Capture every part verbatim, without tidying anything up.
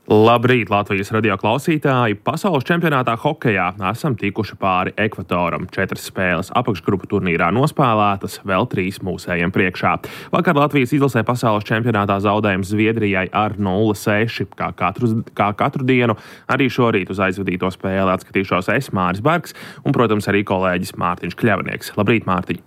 Labrīt, Latvijas radio klausītāji! Pasaules čempionātā hokejā esam tikuši pāri ekvatoram. Četras spēles apakšgrupu turnīrā nospēlētas, vēl trīs mūsējiem priekšā. Vakar Latvijas izlasē pasaules čempionātā zaudējums Zviedrijai ar nulle seši. Kā katru, kā katru dienu, arī šorīt uz aizvadīto spēli atskatīšos es, Māris Bergs, un, protams, arī kolēģis Mārtiņš Kļavnieks. Labrīt, Mārtiņ!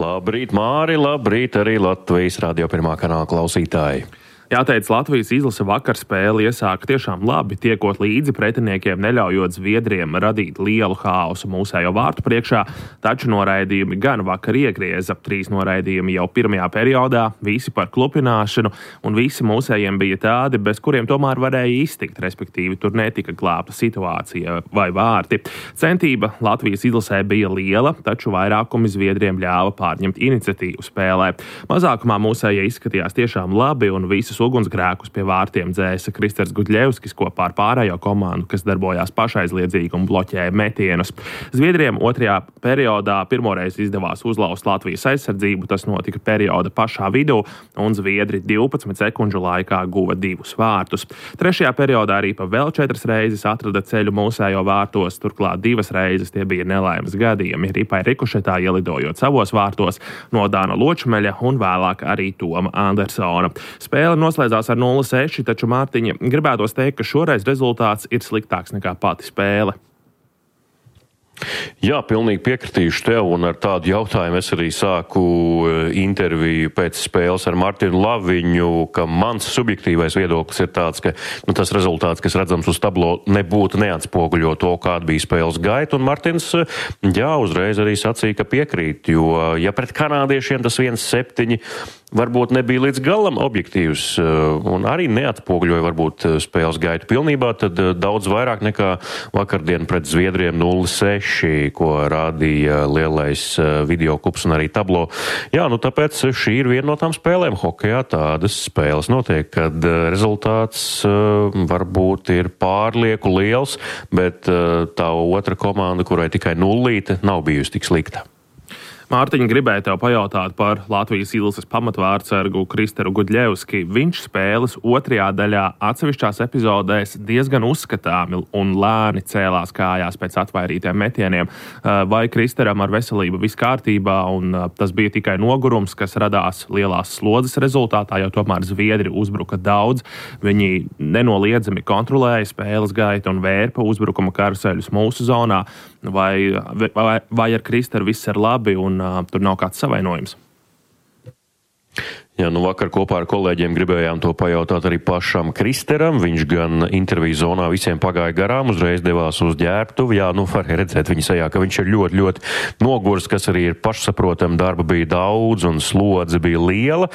Labrīt, Māri! Labrīt arī Latvijas radio pirmā kanāla klausītāji! Jāteic, Latvijas izlase vakar spēli iesāka tiešām labi, tiekot līdzi pretiniekiem, neļaujot Zviedriem radīt lielu haosu mūsējo vārtu priekšā, taču noraidījumi gan vakar iegrieza. Trīs noraidījumi jau pirmajā periodā, visi par klupināšanu, un visi mūsējiem bija tādi, bez kuriem tomēr varēja iztikt, respektīvi tur netika glābta situācija vai vārti. Centība Latvijas izlasē bija liela, taču vairākumi Zviedriem ļāva pārņemt iniciatīvu spēlē. Mazākumā mūsējie izskatījās tiešām labi, un visus ugunsgrēkus pie vārtiem dzēsa Kristers Gudļevskis kopā ar pārējo komandu, kas darbojās pašaizliedzīgi un bloķēja metienus. Zviedriem otrajā periodā pirmoreiz izdevās uzlaust Latvijas aizsardzību, tas notika perioda pašā vidū, un Zviedri divpadsmit sekundžu laikā guva divus vārtus. Trešajā periodā arī pa vēl četras reizes atrada ceļu mūsējo vārtos, turklāt divas reizes tie bija nelaimes gadījumi, ripai rikušetā ielidojot savos vārtos no Dāna Ločmeļa un vēlāk arī Toma Andersona. Spēle noslēdzās ar nulle seši, taču Mārtiņa gribētos teikt, ka šoreiz rezultāts ir sliktāks nekā pati spēle. Jā, pilnīgi piekritīšu tev, un ar tādu jautājumu es arī sāku interviju pēc spēles ar Martinu Laviņu, ka mans subjektīvais viedoklis ir tāds, ka nu, tas rezultāts, kas redzams uz tablo, nebūtu neatspoguļo to, kāda bija spēles gaita, un Martins, jā, uzreiz arī sacīja, ka piekrīt, jo, ja pret kanādiešiem tas viens septiņi varbūt nebija līdz galam objektīvs un arī neatspoguļoja varbūt spēles gaitu pilnībā, tad daudz vairāk nekā vakardien pret Zviedriem nulle seši, ko rādīja lielais videoklips un arī tablo. Jā, nu tāpēc šī ir viena no tām spēlēm hokejā. Tādas spēles notiek, kad rezultāts varbūt ir pārlieku liels, bet tā otra komanda, kurai tikai nullīte, nav bijusi tik slikta. Mārtiņa, gribēja tev pajautāt par Latvijas izlases pamatvārdsargu Kristeru Gudļevski. Viņš spēles otrajā daļā atsevišķās epizodēs diezgan uzskatāmi un lēni cēlās kājās pēc atvairītiem metieniem. Vai Kristeram ar veselību viss kārtībā, un tas bija tikai nogurums, kas radās lielās slodzes rezultātā, jo tomēr Zviedri uzbruka daudz. Viņi nenoliedzami kontrolēja spēles gaitu un vērpa uzbrukuma karuseļus mūsu zonā. Vai, vai, vai ar Kristeru viss ir labi un uh, tur nav kāds savainojums? Jā, nu vakar kopā ar kolēģiem gribējām to pajautāt arī pašam Kristeram. Viņš gan interviju zonā visiem pagāja garām, uzreiz devās uz ģērbtuvi. Jā, nu var redzēt viņa sejā, ka viņš ir ļoti, ļoti nogurs, kas arī ir pašsaprotam. Darba bija daudz un slodze bija liela.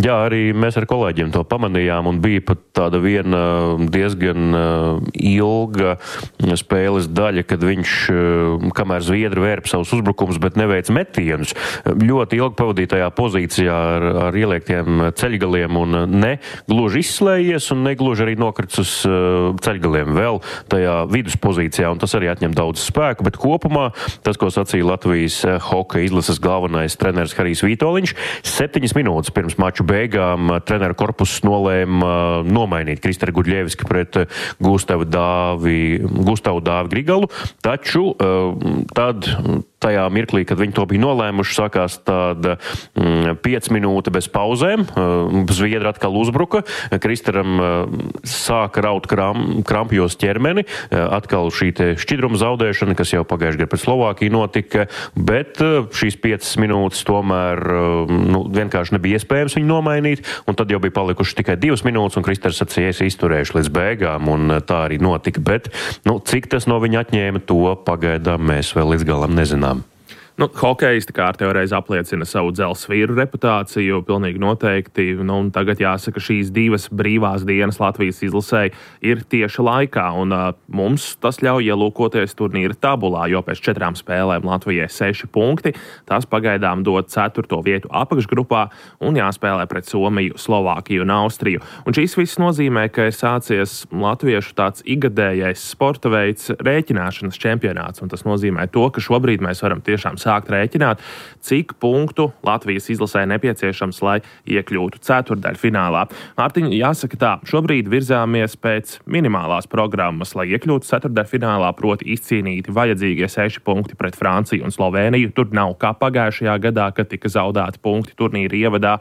Jā, arī mēs ar kolēģiem to pamanījām un bija pat tāda viena diezgan ilga spēles daļa, kad viņš, kamēr Zviedri vērp savus uzbrukumus, bet neveic metienus, ļoti ilgi pavadīja tajā pozīcijā ar, ar ieliek tiem ceļgaliem un ne gluži izslējies un ne gluži arī nokrits uz ceļgaliem vēl tajā viduspozīcijā, un tas arī atņem daudz spēku, bet kopumā tas, ko sacīja Latvijas hokeja izlases galvenais treneris Harijs Vitoļņš, septiņas minūtes pirms maču beigām treneru korpuss nolēma nomainīt Kristeru Gudļevski pret Gustavu Dāvi, Gustavu Dāvi Grigalu, taču tad tajā mirklī, kad viņi to bija nolēmuši, sākās tāda mm, piec minūte bez pauzēm. Zviedri atkal uzbruka. Kristeram sāka raut kram, krampjos ķermeni. Atkal šī te šķidruma zaudēšana, kas jau pagājušajā gadā pret Slovākiju notika, bet šīs piecas minūtes tomēr nu, vienkārši nebija iespējams viņu nomainīt, un tad jau bija palikuši tikai divas minūtes, un Kristers sacīja, es izturēšu līdz beigām, un tā arī notika. Bet, nu, cik tas no viņa atņēma, to pagaidām mēs vēl līdz galam nezinām. Nu, hokejisti kārtējo reizi apliecina savu dzelzsvīru reputāciju, pilnīgi noteikti. Nu, un tagad jāsaka, šīs divas brīvās dienas Latvijas izlasē ir tieši laikā, un uh, mums tas ļauj ielūkoties turnīra tabulā, jo pēc četrām spēlēm Latvijai seši punkti. Tas pagaidām dod ceturto vietu apakšgrupā un jāspēlē pret Somiju, Slovākiju un Austriju. Un šīs viss nozīmē, ka ir sācies latviešu tāds igadējais sporta veids rēķināšanas čempionāts, un tas nozīmē to, ka šobrīd mēs varam tiešām sākt rēķināt, cik punktu Latvijas izlasē nepieciešams, lai iekļūtu ceturtdaļfinālā. Mārtiņ, jāsaka tā, šobrīd virzāmies pēc minimālās programmas, lai iekļūtu ceturtdaļfinālā, proti izcīnīti vajadzīgie seši punkti pret Franciju un Slovēniju. Tur nav kā pagājušajā gadā, kad tika zaudēti punkti turnīra ievadā.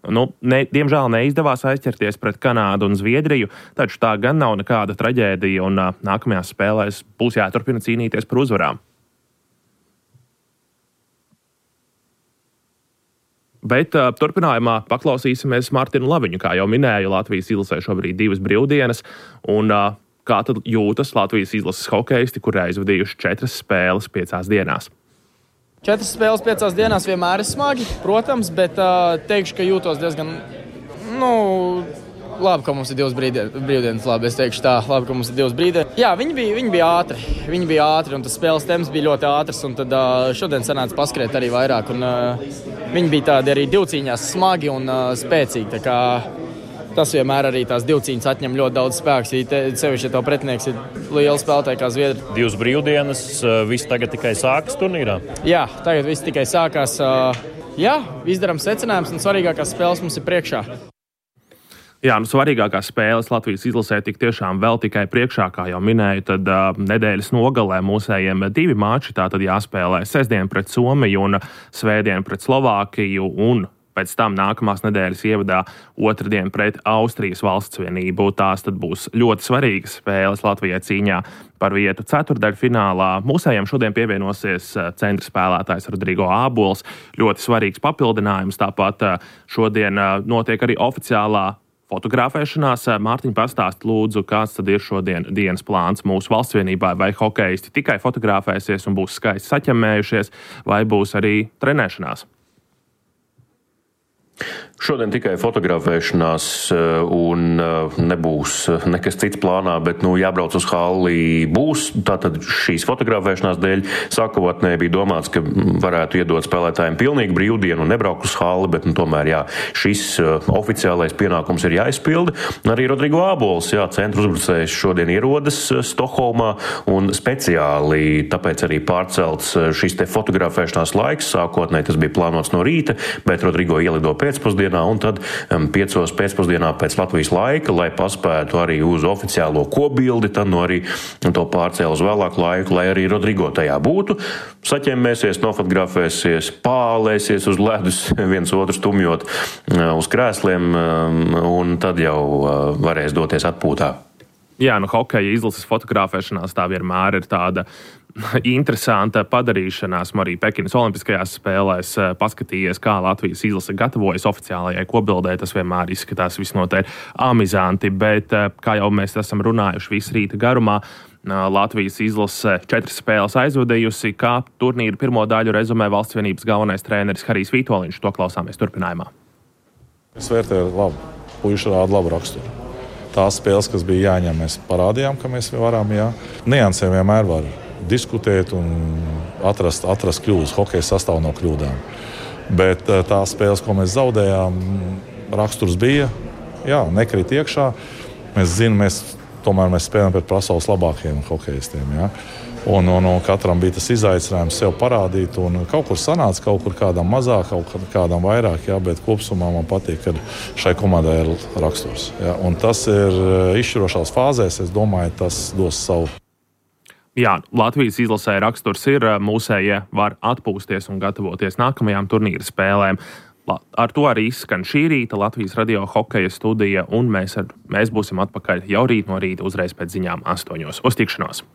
Nu, ne, diemžēl neizdevās aizķerties pret Kanādu un Zviedriju, taču tā gan nav nekāda traģēdija un uh, nākamajās spēlēs būs jāturpina cīnīties par uzvarām. Bet uh, turpinājumā paklausīsimies Martinu Laviņu, kā jau minēju, Latvijas izlasē šobrīd divas brīvdienas, un uh, kā tad jūtas Latvijas izlases hokeisti, kuri aizvadījuši četras spēles piecās dienās? Četras spēles piecās dienās vienmēr ir smagi, protams, bet uh, teikšu, ka jūtos diezgan, nu, labi, ka mums ir divas brīvdienas, labi, es teikšu tā, labi, ka mums ir divas brīvdienas. Jā, viņi bija, viņi bija ātri, viņi bija ātri, un tas spēles temps bija ļoti ātrs, un tad uh, šodien sanāca paskriet arī vairāk, un uh, viņi bija tādi arī divcīņās smagi un uh, spēcīgi, tā kā tas vienmēr arī tās divcīņas atņem ļoti daudz spēks, sevišķi, ja tev pretinieks ir liela spēlētāja kā Zviedri. Divas brīvdienas, viss tagad tikai sākas turnīrā? Jā, tagad viss tikai sākās. Jā, izdarām secinājums, un svarīgākās spēles mums ir priekšā. Jā, nu svarīgākās spēles Latvijas izlasē tik tiešām vēl tikai priekšā, kā jau minēju, tad uh, nedēļas nogalē mūsējiem divi mači, tātad jāspēlē sestdien pret Somiju un svētdien pret Slovākiju, un pēc tam nākamās nedēļas ievadā otrdien pret Austrijas Valstsvienību. Tās tad būs ļoti svarīgas spēles Latvijai cīņā par vietu ceturtdaļfinālā. Mūsējiem šodien pievienosies centra spēlētājs Rodrigo Ābols. Ļoti svarīgs papildinājums. Tāpat šodien notiek arī oficiālā fotografēšanās. Mārtiņ, pastāst lūdzu, kāds tad ir šodien dienas plāns mūsu valstsvienībā, vai hokeisti tikai fotografēsies un būs skaisti saķemmējušies, vai būs arī trenēšanās? Šodien tikai fotografēšanās un nebūs nekas cits plānā, bet nu, jābrauc uz halli būs. Tātad šīs fotografēšanās dēļ sākotnēji bija domāts, ka varētu iedot spēlētājiem pilnīgi brīvdienu un nebraukt uz halli, bet nu, tomēr jā, šis oficiālais pienākums ir jāizpilda. Arī Rodrigo Ābols, jā, centra uzbrucējs šodien ierodas Stokholmā un speciāli tāpēc arī pārcelts šis te fotografēšanās laiks. Sākotnēji tas bija plānots no rīta, bet Rodrigo ielido pēcpusdienā un tad um, piecos pēcpusdienā pēc Latvijas laika, lai paspētu arī uz oficiālo kobildi, tad no arī to pārcēl uz vēlāku laiku, lai arī Rodrigo tajā būtu. Saķemmēsies, nofotografēsies, pālēsies uz ledus, viens otru stumjot uh, uz krēsliem, um, un tad jau uh, varēs doties atpūtā. Jā, nu hokeja izlases fotografēšanās tā vienmēr ir tāda interesanta padarīšanās. Arī Pekinas olimpiskajās spēlēs paskatījies, kā Latvijas izlase gatavojas oficiālajai kobildē. Tas vienmēr izskatās visnotaļ amizanti, bet, kā jau mēs esam runājuši visu rīta garumā, Latvijas izlase četras spēles aizvadījusi. Kā turnīra pirmo daļu rezumē valstsvienības galvenais treneris Harijs Vitoļņš. To klausāmies turpinājumā. Es vērtēju labu, puiši rāda labu raksturu. Tās spēles, kas bija jāņem, mēs parādījām, ka mēs varam, jā. Niansēm vienmēr var diskutēt un atrast, atrast kļūdas. Hokeja sastāv no kļūdām. Bet tās spēles, ko mēs zaudējām, raksturs bija, jā, nekrīt iekšā. Mēs zinām, mēs tomēr mēs spēlējam pret pasaules labākajiem hokeistiem, jā. Un, un, un katram bija tas izaicinājums sev parādīt, un kaut kur sanāca, kaut kur kādam mazāk, kaut kur kādam vairāk, jā, bet kopsumā man patīk, ka šai komandai ir raksturs. Jā, un tas ir izšķirošās fāzēs, es domāju, tas dos savu. Jā, Latvijas izlasē raksturs ir, mūsējie var atpūsties un gatavoties nākamajām turnīra spēlēm. Ar to arī izskan šī rīta Latvijas radio hokeja studija, un mēs, ar, mēs būsim atpakaļ jau rīt no rīta uzreiz pēc ziņām astoņos. Uz tikšanos!